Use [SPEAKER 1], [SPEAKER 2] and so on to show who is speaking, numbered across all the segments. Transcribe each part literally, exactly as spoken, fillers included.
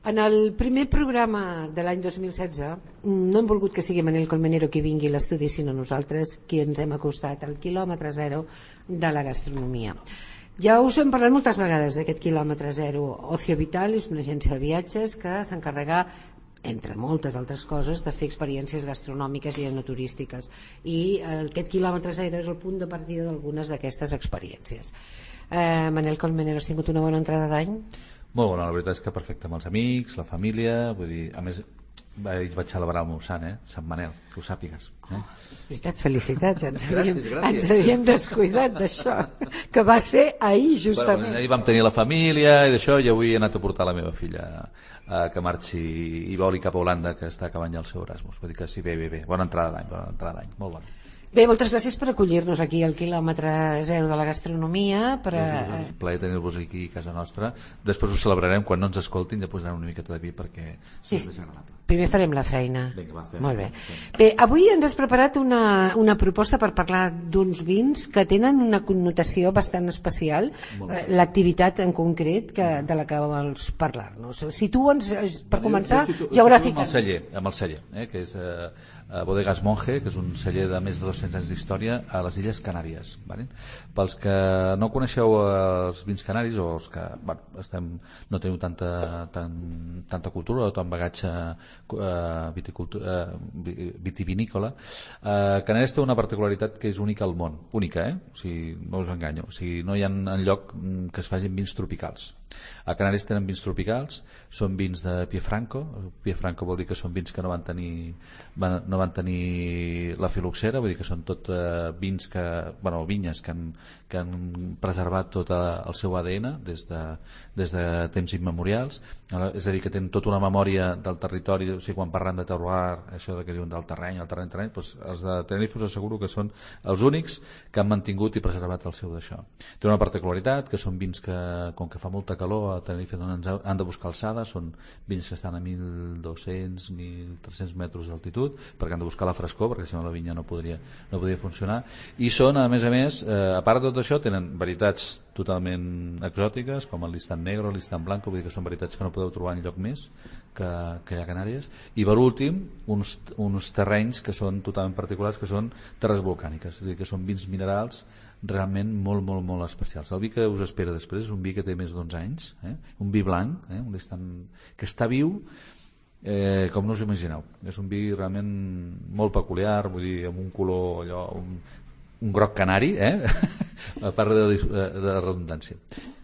[SPEAKER 1] En el primer programa de l'any dos mil setze no hem volgut que sigui Manel Colmenero qui vingui a l'estudi, sinó nosaltres qui ens hem acostat al quilòmetre zero de la gastronomia. Ja us hem parlat moltes vegades d'aquest quilòmetre zero. Ocio Vital és una agència de viatges que s'encarrega, entre moltes altres coses, de fer experiències gastronòmiques i enoturístiques, i aquest quilòmetre zero és el punt de partida d'algunes d'aquestes experiències. eh, Manel Colmenero, has tingut una bona entrada d'any?
[SPEAKER 2] Molt bona, la veritat és que perfecte, amb els amics, la família, vull dir, a més vaig celebrar el meu sant, eh? Sant Manel, que ho sàpigues. Eh?
[SPEAKER 1] Oh, és veritat, felicitats, ens havíem,
[SPEAKER 2] gràcies, gràcies.
[SPEAKER 1] ens havíem descuidat d'això, que va ser ahir justament.
[SPEAKER 2] Bueno, ahir vam tenir la família i d'això, i avui he anat a portar la meva filla a que marxi i voli cap a Holanda, que està acabant ja el seu Erasmus. Vull dir que sí, bé, bé, bé, bona entrada d'any, bona entrada d'any, molt bona.
[SPEAKER 1] Bé, moltes gràcies per acollir-nos aquí al quilòmetre zero de la gastronomia. Per a...
[SPEAKER 2] És un plaer tenir-vos aquí a casa nostra. Després ho celebrarem quan no ens escoltin, ja posarem una miqueta de vi perquè
[SPEAKER 1] sí,
[SPEAKER 2] és més agradable.
[SPEAKER 1] Primer farem la feina.
[SPEAKER 2] Vinga, va, fem,
[SPEAKER 1] molt bé.
[SPEAKER 2] Fem.
[SPEAKER 1] Bé, avui ens has preparat una, una proposta per parlar d'uns vins que tenen una connotació bastant especial, l'activitat en concret que, de la que vols parlar-nos. Situa'ns, per començar, geogràficament.
[SPEAKER 2] Amb el celler, amb el celler eh, que és eh, Bodegas Monge, que és un celler de més de dos-cents anys d'història a les Illes Canàries. Vale? Pels que no coneixeu els vins canaris, o els que bueno, estem, no teniu tanta, tan, tanta cultura o tant bagatge Uh, viticultura, uh, vitivinícola, uh, Canàries té una particularitat que és única al món, única, eh? O sigui, no us enganyo, o sigui, no hi ha enlloc que es facin vins tropicals. A Canàries tenen vins tropicals, són vins de Piefranco. Piefranco vol dir que són vins que no van tenir, van, no van tenir la filoxera, vull dir que són tot uh, vins que, bueno, vinyes que han, que han preservat tot el seu A D N des de, des de temps immemorials, és a dir, que tenen tota una memòria del territori. O sigui, quan parlen de terroir, això que diuen del terreny, el terreny, terreny, doncs els de Tenerife us asseguro que són els únics que han mantingut i preservat el seu d'això. Té una particularitat, que són vins que, com que fa molta calor a Tenerife, doncs han de buscar alçada, són vins que estan a mil dos-cents a mil tres-cents metres d'altitud, perquè han de buscar la frescor, perquè si no la vinya no podria, no podria funcionar, i són, a més a més, eh, a part de tot això, tenen varietats totalment exòtiques, com el Listan Negro, el Listan Blanco, vull dir que són varietats que no podeu trobar enlloc més que, que hi ha a Canàries, i per últim uns, uns terrenys que són totalment particulars, que són terres volcàniques, és a dir, que són vins minerals realment molt, molt, molt especials. El vi que us espera després és un vi que té més d'onze anys, eh? Un vi blanc, eh? Un Listan, que està viu eh, com no us imagineu. És un vi realment molt peculiar, vull dir, amb un color allò, un, un groc canari, eh? A part de, de redundància.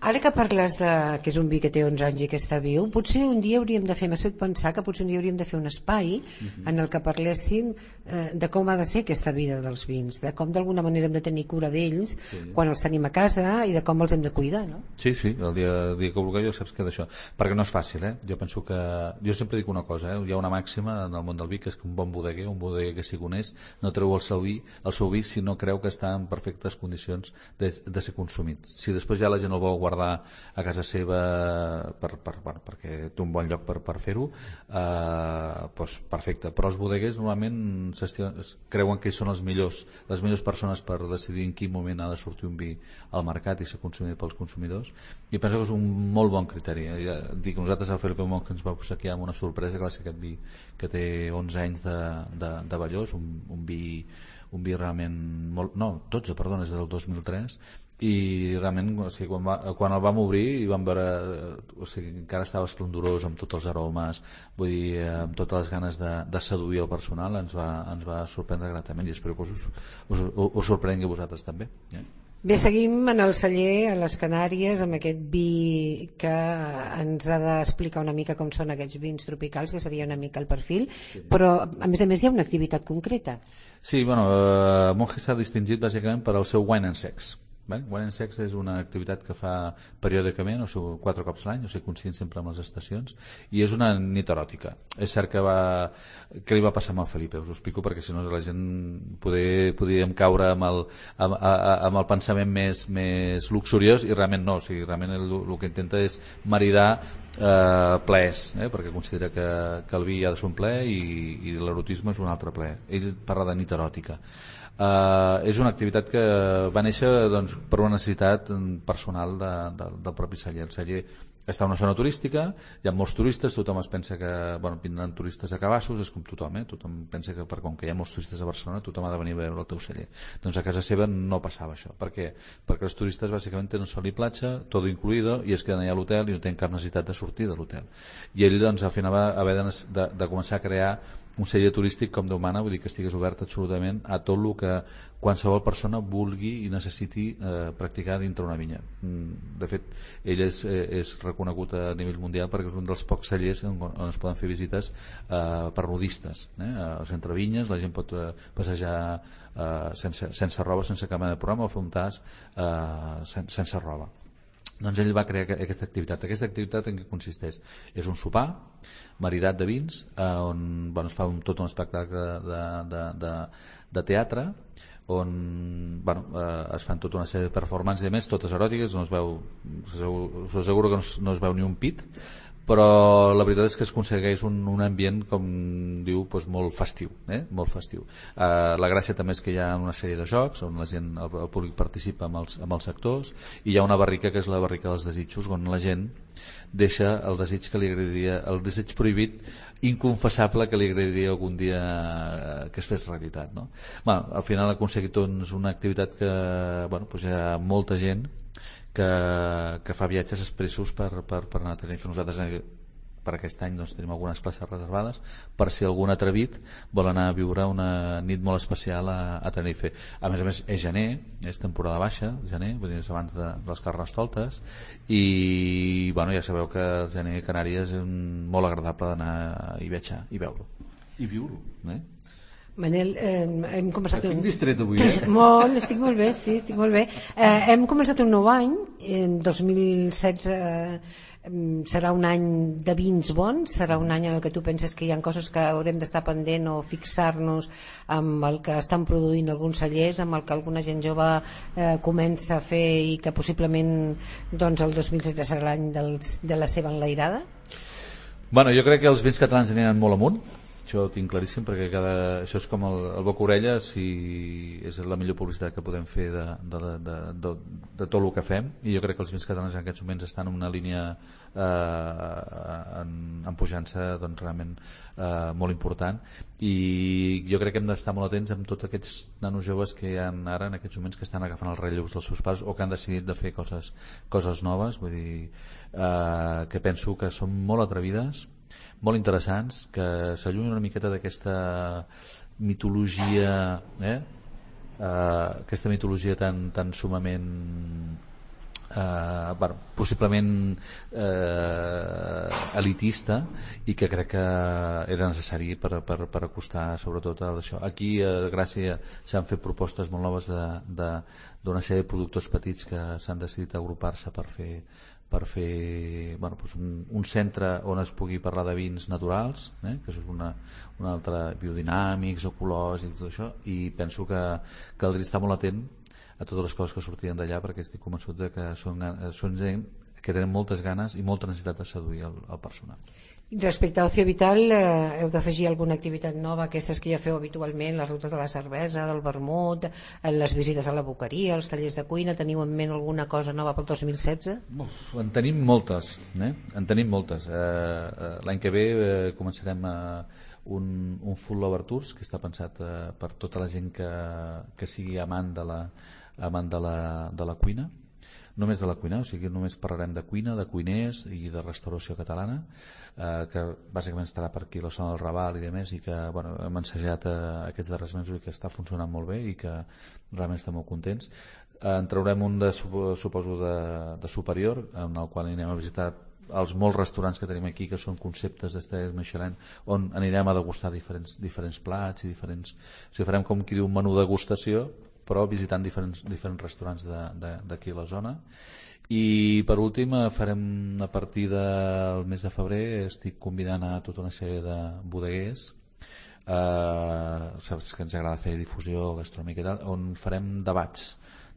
[SPEAKER 1] Ara que parles de que és un vi que té onze anys i que està viu, potser un dia hauríem de fer, m'ha fet pensar que potser un dia hauríem de fer un espai uh-huh. en el que parléssim eh, de com ha de ser aquesta vida dels vins, de com d'alguna manera hem de tenir cura d'ells sí. quan els tenim a casa i de com els hem de cuidar, no?
[SPEAKER 2] Sí, sí, el dia, el dia que vulgueu jo saps que d'això, perquè no és fàcil, eh? Jo penso que, jo sempre dic una cosa, eh? Hi ha una màxima en el món del vi, que és que un bon bodeguer, un bodeguer que sigui honest, no treu el seu vi, el seu vi si no creu que està en perfectes condicions de, de ser consumit. Si després ja la gent el vol guardar a casa seva per, per, bueno, perquè té un bon lloc per, per fer-ho, eh, doncs perfecte. Però els bodeguers normalment creuen que ells són els millors, les millors persones per decidir en quin moment ha de sortir un vi al mercat i ser consumit pels consumidors, i penso que és un molt bon criteri. Ja dic, nosaltres al Felipe Mont que ens va obsequiar amb una sorpresa, que va ser aquest vi que té onze anys de, de, de Vallós, un, un vi un vi realment molt, no, dotze, perdona, és del dos mil tres, i realment, o sigui, quan, va, quan el vam obrir i vam veure, o sigui, encara estava esplendorós amb tots els aromes, vull dir, amb totes les ganes de, de seduir el personal, ens va, ens va sorprendre gratament, i espero que us, us, us, us sorprengui a vosaltres també. Eh?
[SPEAKER 1] Bé, seguim en el celler a les Canàries amb aquest vi que ens ha d'explicar una mica com són aquests vins tropicals, que seria una mica el perfil, sí. Però a més a més hi ha una activitat concreta.
[SPEAKER 2] Sí, bueno, eh, Monge s'ha distingit bàsicament per al seu wine and sex. Vale? Wine and Sex és una activitat que fa periòdicament, o sigui, quatre cops l'any, o sigui, coincidint sempre amb les estacions, i és una nit eròtica. És cert que va... Què li va passar amb el Felipe? Us ho explico perquè si no la gent poder, podríem caure amb el, amb, amb el pensament més, més luxuriós, i realment no, o sigui, realment el, el que intenta és maridar eh, plaers, eh? Perquè considera que, que el vi ha de ser un plaer i, i l'erotisme és un altre plaer. Ell parla de nit eròtica. Uh, és una activitat que va néixer doncs, per una necessitat personal de, de, del propi celler. El celler està en una zona turística, hi ha molts turistes, tothom es pensa que bueno, vindran turistes a Cabassos, és com tothom, eh? Tothom pensa que per com que hi ha molts turistes a Barcelona tothom ha de venir a veure el teu celler. Doncs a casa seva no passava això. Per què? Perquè els turistes bàsicament tenen sol i platja, tot incluïdo, i es queden allà a l'hotel i no tenen cap necessitat de sortir de l'hotel. I ell doncs al final va haver de, de, de començar a crear un celler turístic com Déu mana, vull dir que estigués obert absolutament a tot el que qualsevol persona vulgui i necessiti eh, practicar dintre una vinya. De fet, ell és, és reconegut a nivell mundial perquè és un dels pocs cellers on, on es poden fer visites eh, per nudistes. Eh? Al centre Vinyes la gent pot eh, passejar eh, sense, sense roba, sense cap mena de programa, o fer un tas eh, sense, sense roba. Doncs ell va crear aquesta activitat. Aquesta activitat en què consisteix? És un sopar maridat de vins eh, on bueno, es fa un, tot un espectacle de, de, de, de teatre on bueno, eh, es fan tota una sèrie de performances i a més totes eròtiques, no es veu, us asseguro que no es, no es veu ni un pit, però la veritat és que es aconsegueix un, un ambient com diu doncs molt festiu, eh? molt festiu. Eh, la gràcia també és que hi ha una sèrie de jocs on la gent, el, el públic participa amb els, amb els actors, i hi ha una barrica que és la barrica dels desitjos, on la gent deixa el desig que li agradaria, el desig prohibit inconfessable que li agradaria algun dia que es fes realitat, no? Bueno, al final ha aconseguit doncs, una activitat que bueno, doncs hi ha molta gent que, que fa viatges expressos per, per, per anar a Tenerife. Nosaltres per aquest any doncs, tenim algunes places reservades per si algun atrevit vol anar a viure una nit molt especial a, a Tenerife. A més a més és gener, és temporada baixa, gener, vull dir, és abans de, de les Carnestoltes, i bueno, ja sabeu que el gener a Canàries és un, molt agradable d'anar i viatjar i veure-ho i viure-ho, eh?
[SPEAKER 1] Manel, eh, hem començat
[SPEAKER 2] estic
[SPEAKER 1] un...
[SPEAKER 2] distret avui, eh?
[SPEAKER 1] Molt, estic molt bé, sí, estic molt bé. Eh, hem començat un nou any, en dos mil setze eh, serà un any de vins bons, serà un any en el que tu penses que hi ha coses que haurem d'estar pendent o fixar-nos amb el que estan produint alguns cellers, amb el que alguna gent jove eh, comença a fer i que possiblement doncs, el dos mil setze serà l'any dels, de la seva enlairada?
[SPEAKER 2] Bueno, jo crec que els vins catalans aniran molt amunt. Això ho tinc claríssim perquè cada... això és com el, el boca-orella, si és la millor publicitat que podem fer de, de, de, de, de tot el que fem, i jo crec que els vins catalans en aquests moments estan en una línia eh, en, en pujança doncs, realment eh, molt important, i jo crec que hem d'estar molt atents amb tots aquests nanos joves que hi ha ara en aquests moments que estan agafant els relleus dels seus pares o que han decidit de fer coses, coses noves, vull dir eh, que penso que són molt atrevides, molt interessants, que s'allunyen una miqueta d'aquesta mitologia eh? Uh, aquesta mitologia tan, tan sumament uh, bueno, possiblement uh, elitista, i que crec que era necessari per, per, per acostar sobretot a això. Aquí a Gràcia s'han fet propostes molt noves d'una sèrie de productors petits que s'han decidit agrupar-se per fer per fer bueno, doncs un, un centre on es pugui parlar de vins naturals, eh? que és una, una altra biodinàmics, ecològics i tot això, i penso que caldria estar molt atent a totes les coses que sortien d'allà, perquè estic convençut de que són, són gent que tenen moltes ganes i molta necessitat de seduir el, el personal.
[SPEAKER 1] Respecte a Ocio Vital, eh, heu d'afegir alguna activitat nova, aquestes que ja feu habitualment, les rutes de la cervesa, del vermut, les visites a la boqueria, els tallers de cuina, teniu en ment alguna cosa nova pel dos mil setze?
[SPEAKER 2] Uf, en tenim moltes, eh? en tenim moltes. Eh, l'any que ve eh, començarem a un, un Food Lover Tours que està pensat eh, per tota la gent que, que sigui amant de la, amant de la, de la cuina, només de la cuina, o sigui, només parlarem de cuina, de cuiners i de restauració catalana, eh, que bàsicament estarà per aquí la zona del Raval i demés, i que bueno, hem ensajat eh, aquests darrers mesos i que està funcionant molt bé i que realment estem molt contents. Eh, en traurem un de, suposo de, de superior, en el qual anirem a visitar els molts restaurants que tenim aquí que són conceptes d'estrelles Michelin, on anirem a degustar diferents, diferents plats i diferents... O sigui, farem com qui diu un menú de degustació, però visitant diferents, diferents restaurants d'aquí a la zona. I per últim farem a partir del mes de febrer, estic convidant a tota una sèrie de bodeguers, eh, saps que ens agrada fer difusió gastronòmica i tal, on farem debats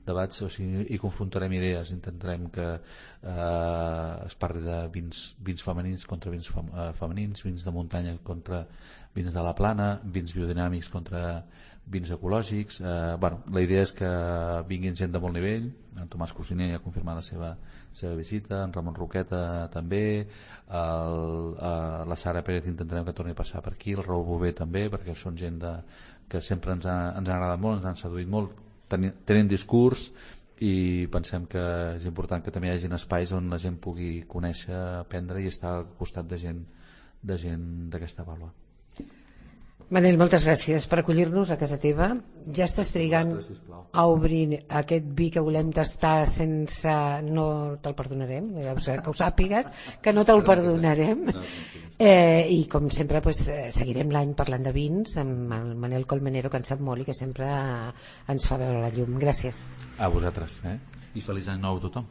[SPEAKER 2] debats, o sigui, i confrontarem idees, intentarem que eh, es parli de vins, vins femenins contra vins fem, eh, femenins, vins de muntanya contra vins de la plana, vins biodinàmics contra vins ecològics. Eh, bueno, la idea és que vinguin gent de molt nivell. En Tomàs Cosiner ha confirmat la seva, seva visita, en Ramon Roqueta també, el, eh, la Sara Pérez intentarem que torni a passar per aquí, el Raül Bové també, perquè són gent de, que sempre ens ha, ens ha agradat molt, ens han seduït molt, tenen, tenen discurs, i pensem que és important que també hi hagi espais on la gent pugui conèixer, aprendre i estar al costat de gent de gent d'aquesta vàlua.
[SPEAKER 1] Manel, moltes gràcies per acollir-nos a casa teva. Ja estàs trigant a obrir aquest vi que volem tastar sense... No te'l perdonarem, ja ho sé, que ho sàpigues, que no te'l perdonarem. Eh, I com sempre pues, seguirem l'any parlant de vins amb el Manel Colmenero, que en sap molt i que sempre ens fa veure la llum. Gràcies.
[SPEAKER 2] A vosaltres, eh? I feliç any nou a tothom.